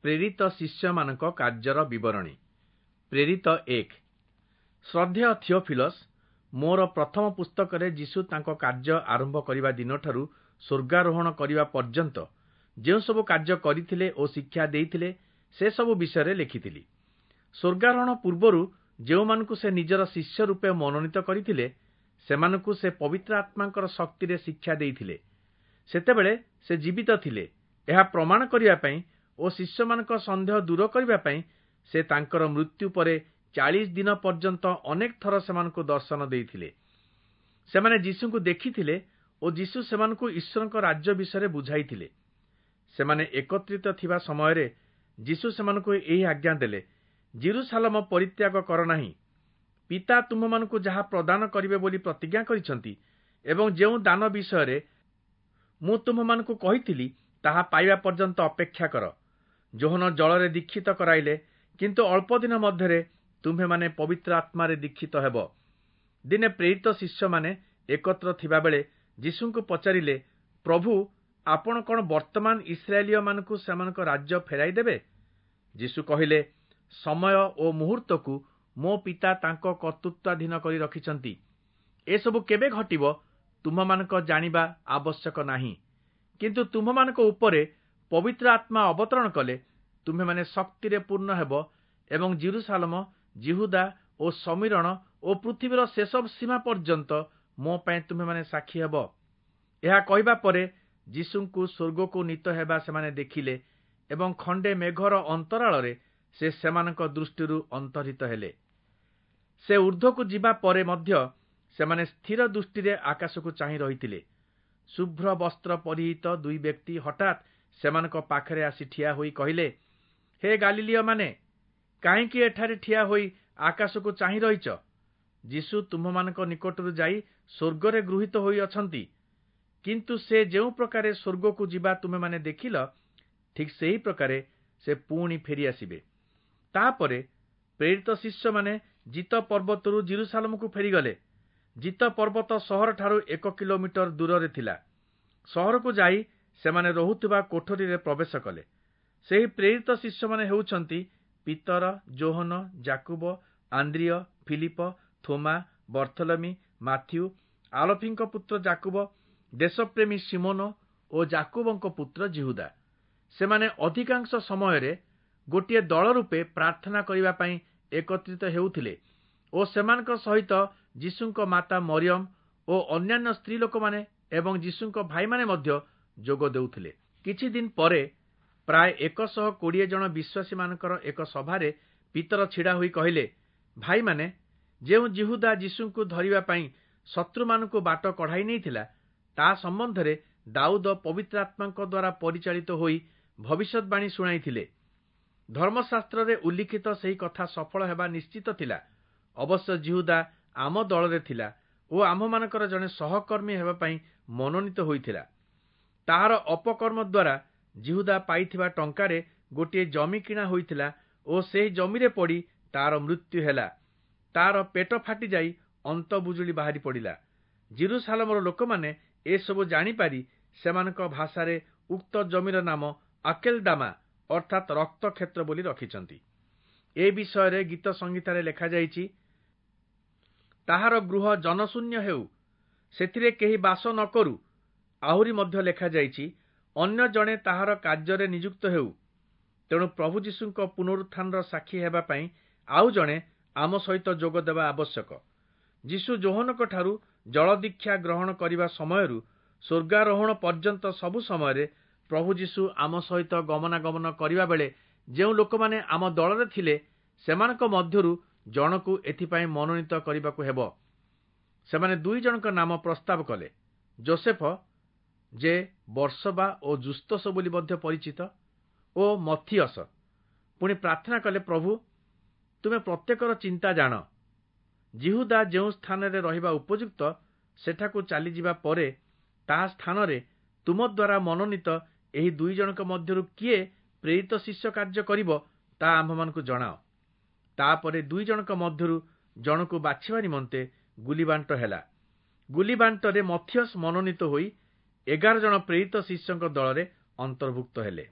ପ୍ରେରିତ ଶିଷ୍ୟମାନଙ୍କ କାର୍ଯ୍ୟର ବିବରଣୀ। ପ୍ରେରିତ 1। ଶ୍ରଦ୍ଧେୟ ଥିଓଫିଲସ୍, ମୋର ପ୍ରଥମ ପୁସ୍ତକରେ ଯୀଶୁ ତାଙ୍କ କାର୍ଯ୍ୟ ଆରମ୍ଭ କରିବା ଦିନଠାରୁ ସ୍ୱର୍ଗାରୋହଣ କରିବା ପର୍ଯ୍ୟନ୍ତ ଯେଉଁସବୁ କାର୍ଯ୍ୟ କରିଥିଲେ ଓ ଶିକ୍ଷା ଦେଇଥିଲେ, ସେସବୁ ବିଷୟରେ ଲେଖିଥିଲି। ସ୍ୱର୍ଗାରୋହଣ ପୂର୍ବରୁ ଯେଉଁମାନଙ୍କୁ ସେ ନିଜର ଶିଷ୍ୟ ରୂପେ ମନୋନୀତ କରିଥିଲେ, ସେମାନଙ୍କୁ ସେ ପବିତ୍ର ଆତ୍ମାଙ୍କର ଶକ୍ତିରେ ଶିକ୍ଷା ଦେଇଥିଲେ। ସେତେବେଳେ ସେ ଜୀବିତ ଥିଲେ, ଏହା ପ୍ରମାଣ କରିବା ପାଇଁ ଓ ଶିଷ୍ୟମାନଙ୍କ ସନ୍ଦେହ ଦୂର କରିବା ପାଇଁ ସେ ତାଙ୍କର ମୃତ୍ୟୁ ପରେ 40 ଦିନ ପର୍ଯ୍ୟନ୍ତ ଅନେକ ଥର ସେମାନଙ୍କୁ ଦର୍ଶନ ଦେଇଥିଲେ। ସେମାନେ ଯୀଶୁଙ୍କୁ ଦେଖିଥିଲେ ଓ ଯୀଶୁ ସେମାନଙ୍କୁ ଈଶ୍ୱରଙ୍କ ରାଜ୍ୟ ବିଷୟରେ ବୁଝାଇଥିଲେ। ସେମାନେ ଏକତ୍ରିତ ଥିବା ସମୟରେ ଯୀଶୁ ସେମାନଙ୍କୁ ଏହି ଆଜ୍ଞା ଦେଲେ, ଯିରୂଶାଲମ ପରିତ୍ୟାଗ କର ନାହିଁ। ପିତା ତୁମ୍ଭମାନଙ୍କୁ ଯାହା ପ୍ରଦାନ କରିବେ ବୋଲି ପ୍ରତିଜ୍ଞା କରିଛନ୍ତି ଏବଂ ଯେଉଁ ଦାନ ବିଷୟରେ ମୁଁ ତୁମ୍ଭମାନଙ୍କୁ କହିଥିଲି, ତାହା ପାଇବା ପର୍ଯ୍ୟନ୍ତ ଅପେକ୍ଷା କର। ଯୋହନ ଜଳରେ ଦୀକ୍ଷିତ କରାଇଲେ, କିନ୍ତୁ ଅଳ୍ପ ଦିନ ମଧ୍ୟରେ ତୁମ୍ଭେମାନେ ପବିତ୍ର ଆତ୍ମାରେ ଦୀକ୍ଷିତ ହେବ। ଦିନେ ପ୍ରେରିତ ଶିଷ୍ୟମାନେ ଏକତ୍ର ଥିବାବେଳେ ଯୀଶୁଙ୍କୁ ପଚାରିଲେ, ପ୍ରଭୁ, ଆପଣ କଣ ବର୍ତ୍ତମାନ ଇସ୍ରାଏଲୀୟମାନଙ୍କୁ ସେମାନଙ୍କ ରାଜ୍ୟ ଫେରାଇ ଦେବେ? ଯୀଶୁ କହିଲେ, ସମୟ ଓ ମୁହୂର୍ତ୍ତକୁ ମୋ ପିତା ତାଙ୍କ କର୍ତ୍ତୃତ୍ୱାଧୀନ କରି ରଖିଛନ୍ତି। ଏସବୁ କେବେ ଘଟିବ, ତୁମ୍ଭମାନଙ୍କ ଜାଣିବା ଆବଶ୍ୟକ ନାହିଁ। କିନ୍ତୁ ତୁମ୍ଭମାନଙ୍କ ଉପରେ ପବିତ୍ର ଆତ୍ମା ଅବତରଣ କଲେ ତୁମ୍ଭେମାନେ ଶକ୍ତିରେ ପୂର୍ଣ୍ଣ ହେବ ଏବଂ ଯିରୂଶାଲମ, ଯିହୁଦା ଓ ଶମିରୋଣ ଓ ପୃଥିବୀର ଶେଷ ସୀମା ପର୍ଯ୍ୟନ୍ତ ମୋ ପାଇଁ ତୁମ୍ଭେମାନେ ସାକ୍ଷୀ ହେବ। ଏହା କହିବା ପରେ ଯୀଶୁଙ୍କୁ ସ୍ୱର୍ଗକୁ ନୀତ ହେବା ସେମାନେ ଦେଖିଲେ ଏବଂ ଖଣ୍ଡେ ମେଘର ଅନ୍ତରାଳରେ ସେ ସେମାନଙ୍କ ଦୃଷ୍ଟିରୁ ଅନ୍ତର୍ହିତ ହେଲେ। ସେ ଊର୍ଦ୍ଧ୍ୱକୁ ଯିବା ପରେ ମଧ୍ୟ ସେମାନେ ସ୍ଥିର ଦୃଷ୍ଟିରେ ଆକାଶକୁ ଚାହିଁ ରହିଥିଲେ। ଶୁଭ୍ର ବସ୍ତ୍ର ପରିହିତ ଦୁଇ ବ୍ୟକ୍ତି ହଠାତ୍ ସେମାନଙ୍କ ପାଖରେ ଆସି ଠିଆ ହୋଇ କହିଲେ, ହେ ଗାଲିଲୀୟମାନେ, କାହିଁକି ଏଠାରେ ଠିଆ ହୋଇ ଆକାଶକୁ ଚାହିଁ ରହିଛ? ଯୀଶୁ ତୁମ୍ଭମାନଙ୍କ ନିକଟରୁ ଯାଇ ସ୍ୱର୍ଗରେ ଗୃହୀତ ହୋଇଅଛନ୍ତି। କିନ୍ତୁ ସେ ଯେଉଁ ପ୍ରକାରେ ସ୍ୱର୍ଗକୁ ଯିବା ତୁମେମାନେ ଦେଖିଲ, ଠିକ୍ ସେହି ପ୍ରକାରେ ସେ ପୁଣି ଫେରିଆସିବେ। ତାପରେ ପ୍ରେରିତ ଶିଷ୍ୟମାନେ ଜିତ ପର୍ବତରୁ ଯିରୂଶାଲମକୁ ଫେରିଗଲେ। ଜିତ ପର୍ବତ ସହରଠାରୁ 1 କିଲୋମିଟର ଦୂରରେ ଥିଲା। ସହରକୁ ଯାଇ ସେମାନେ ରହୁଥିବା କୋଠରୀରେ ପ୍ରବେଶ କଲେ। ସେହି ପ୍ରେରିତ ଶିଷ୍ୟମାନେ ହେଉଛନ୍ତି ପିତର, ଯୋହନ, ଯାକୁବ, ଆନ୍ଦ୍ରିୟ, ଫିଲିପ, ଥୋମା, ବର୍ଥଲମି, ମାଥ୍ୟୁ, ଆଲଫିଙ୍କ ପୁତ୍ର ଯାକୁବ, ଦେଶପ୍ରେମୀ ଶିମୋନ ଓ ଯାକୁବଙ୍କ ପୁତ୍ର ଯିହୁଦା। ସେମାନେ ଅଧିକାଂଶ ସମୟରେ ଗୋଟିଏ ଦଳ ରୂପେ ପ୍ରାର୍ଥନା କରିବା ପାଇଁ ଏକତ୍ରିତ ହେଉଥିଲେ ଓ ସେମାନଙ୍କ ସହିତ ଯୀଶୁଙ୍କ ମାତା ମରିୟମ ଓ ଅନ୍ୟାନ୍ୟ ସ୍ତ୍ରୀ ଲୋକମାନେ ଏବଂ ଯୀଶୁଙ୍କ ଭାଇମାନେ ମଧ୍ୟ ଯୋଗ ଦେଉଥିଲେ। କିଛି ଦିନ ପରେ ପ୍ରାୟ 120 ଜଣ ବିଶ୍ୱାସୀମାନଙ୍କର ଏକ ସଭାରେ ପିତର ଛିଡ଼ା ହୋଇ କହିଲେ, ଭାଇମାନେ, ଯେଉଁ ଯିହୁଦା ଯୀଶୁଙ୍କୁ ଧରିବା ପାଇଁ ଶତ୍ରୁମାନଙ୍କୁ ବାଟ କଢ଼ାଇ ନେଇଥିଲା, ତା ସମ୍ବନ୍ଧରେ ଦାଉଦ ପବିତ୍ର ଆତ୍ମାଙ୍କ ଦ୍ୱାରା ପରିଚାଳିତ ହୋଇ ଭବିଷ୍ୟତବାଣୀ ଶୁଣାଇଥିଲେ। ଧର୍ମଶାସ୍ତ୍ରରେ ଉଲ୍ଲିଖିତ ସେହି କଥା ସଫଳ ହେବା ନିଶ୍ଚିତ ଥିଲା। ଅବଶ୍ୟ ଯିହୁଦା ଆମ ଦଳରେ ଥିଲା ଓ ଆମ୍ଭମାନଙ୍କର ଜଣେ ସହକର୍ମୀ ହେବା ପାଇଁ ମନୋନୀତ ହୋଇଥିଲା। ତାହାର ଅପକର୍ମ ଦ୍ୱାରା ଯିହୁଦା ପାଇଥିବା ଟଙ୍କାରେ ଗୋଟିଏ ଜମି କିଣା ହୋଇଥିଲା ଓ ସେହି ଜମିରେ ପଡ଼ି ତାର ମୃତ୍ୟୁ ହେଲା। ତାର ପେଟ ଫାଟିଯାଇ ଅନ୍ତବୁଜୁଳି ବାହାରି ପଡ଼ିଲା। ଯିରୂଶାଲମର ଲୋକମାନେ ଏସବୁ ଜାଣିପାରି ସେମାନଙ୍କ ଭାଷାରେ ଉକ୍ତ ଜମିର ନାମ ଆକେଲଦାମା, ଅର୍ଥାତ୍ ରକ୍ତକ୍ଷେତ୍ର ବୋଲି ରଖିଛନ୍ତି। ଏ ବିଷୟରେ ଗୀତ ସଂହିତାରେ ଲେଖାଯାଇଛି, ତାହାର ଗୃହ ଜନଶୂନ୍ୟ ହେଉ, ସେଥିରେ କେହି ବାସ ନ କରୁ। ଆହୁରି ମଧ୍ୟ ଲେଖାଯାଇଛି, ଅନ୍ୟ ଜଣେ ତାହାର କାର୍ଯ୍ୟରେ ନିଯୁକ୍ତ ହେଉ। ତେଣୁ ପ୍ରଭୁ ଯୀଶୁଙ୍କ ପୁନରୁତ୍ଥାନର ସାକ୍ଷୀ ହେବା ପାଇଁ ଆଉ ଜଣେ ଆମ ସହିତ ଯୋଗ ଦେବା ଆବଶ୍ୟକ। ଯୀଶୁ ଯୋହନଙ୍କଠାରୁ ଜଳଦୀକ୍ଷା ଗ୍ରହଣ କରିବା ସମୟରୁ ସ୍ୱର୍ଗାରୋହଣ ପର୍ଯ୍ୟନ୍ତ ସବୁ ସମୟରେ ପ୍ରଭୁ ଯୀଶୁ ଆମ ସହିତ ଗମନାଗମନ କରିବା ବେଳେ ଯେଉଁ ଲୋକମାନେ ଆମ ଦଳରେ ଥିଲେ, ସେମାନଙ୍କ ମଧ୍ୟରୁ ଜଣକୁ ଏଥିପାଇଁ ମନୋନୀତ କରିବାକୁ ହେବ। ସେମାନେ ଦୁଇ ଜଣଙ୍କ ନାମ ପ୍ରସ୍ତାବ କଲେ, ଜୋସେଫ, ଯେ ବର୍ସବା ଓ ଯୁସ୍ତସ ବୋଲି ମଧ୍ୟ ପରିଚିତ, ଓ ମଥିୟସ। ପୁଣି ପ୍ରାର୍ଥନା କଲେ, ପ୍ରଭୁ, ତୁମେ ପ୍ରତ୍ୟେକର ଚିନ୍ତା ଜାଣ। ଯିହୁଦା ଯେଉଁ ସ୍ଥାନରେ ରହିବା ଉପଯୁକ୍ତ, ସେଠାକୁ ଚାଲିଯିବା ପରେ ତାହା ସ୍ଥାନରେ ତୁମ ଦ୍ୱାରା ମନୋନୀତ ଏହି ଦୁଇ ଜଣଙ୍କ ମଧ୍ୟରୁ କିଏ ପ୍ରେରିତ ଶିଷ୍ୟ କାର୍ଯ୍ୟ କରିବ, ତାହା ଆମ୍ଭମାନଙ୍କୁ ଜଣାଅ। ତାପରେ ଦୁଇ ଜଣଙ୍କ ମଧ୍ୟରୁ ଜଣକୁ ବାଛିବା ନିମନ୍ତେ ଗୁଲିବାଣ୍ଟ ହେଲା। ଗୁଲିବାଣ୍ଟରେ ମଥିୟସ ମନୋନୀତ ହୋଇ 11 ଜଣ ପ୍ରେରିତ ଶିଷ୍ୟଙ୍କ ଦଳରେ ଅନ୍ତର୍ଭୁକ୍ତ ହେଲେ।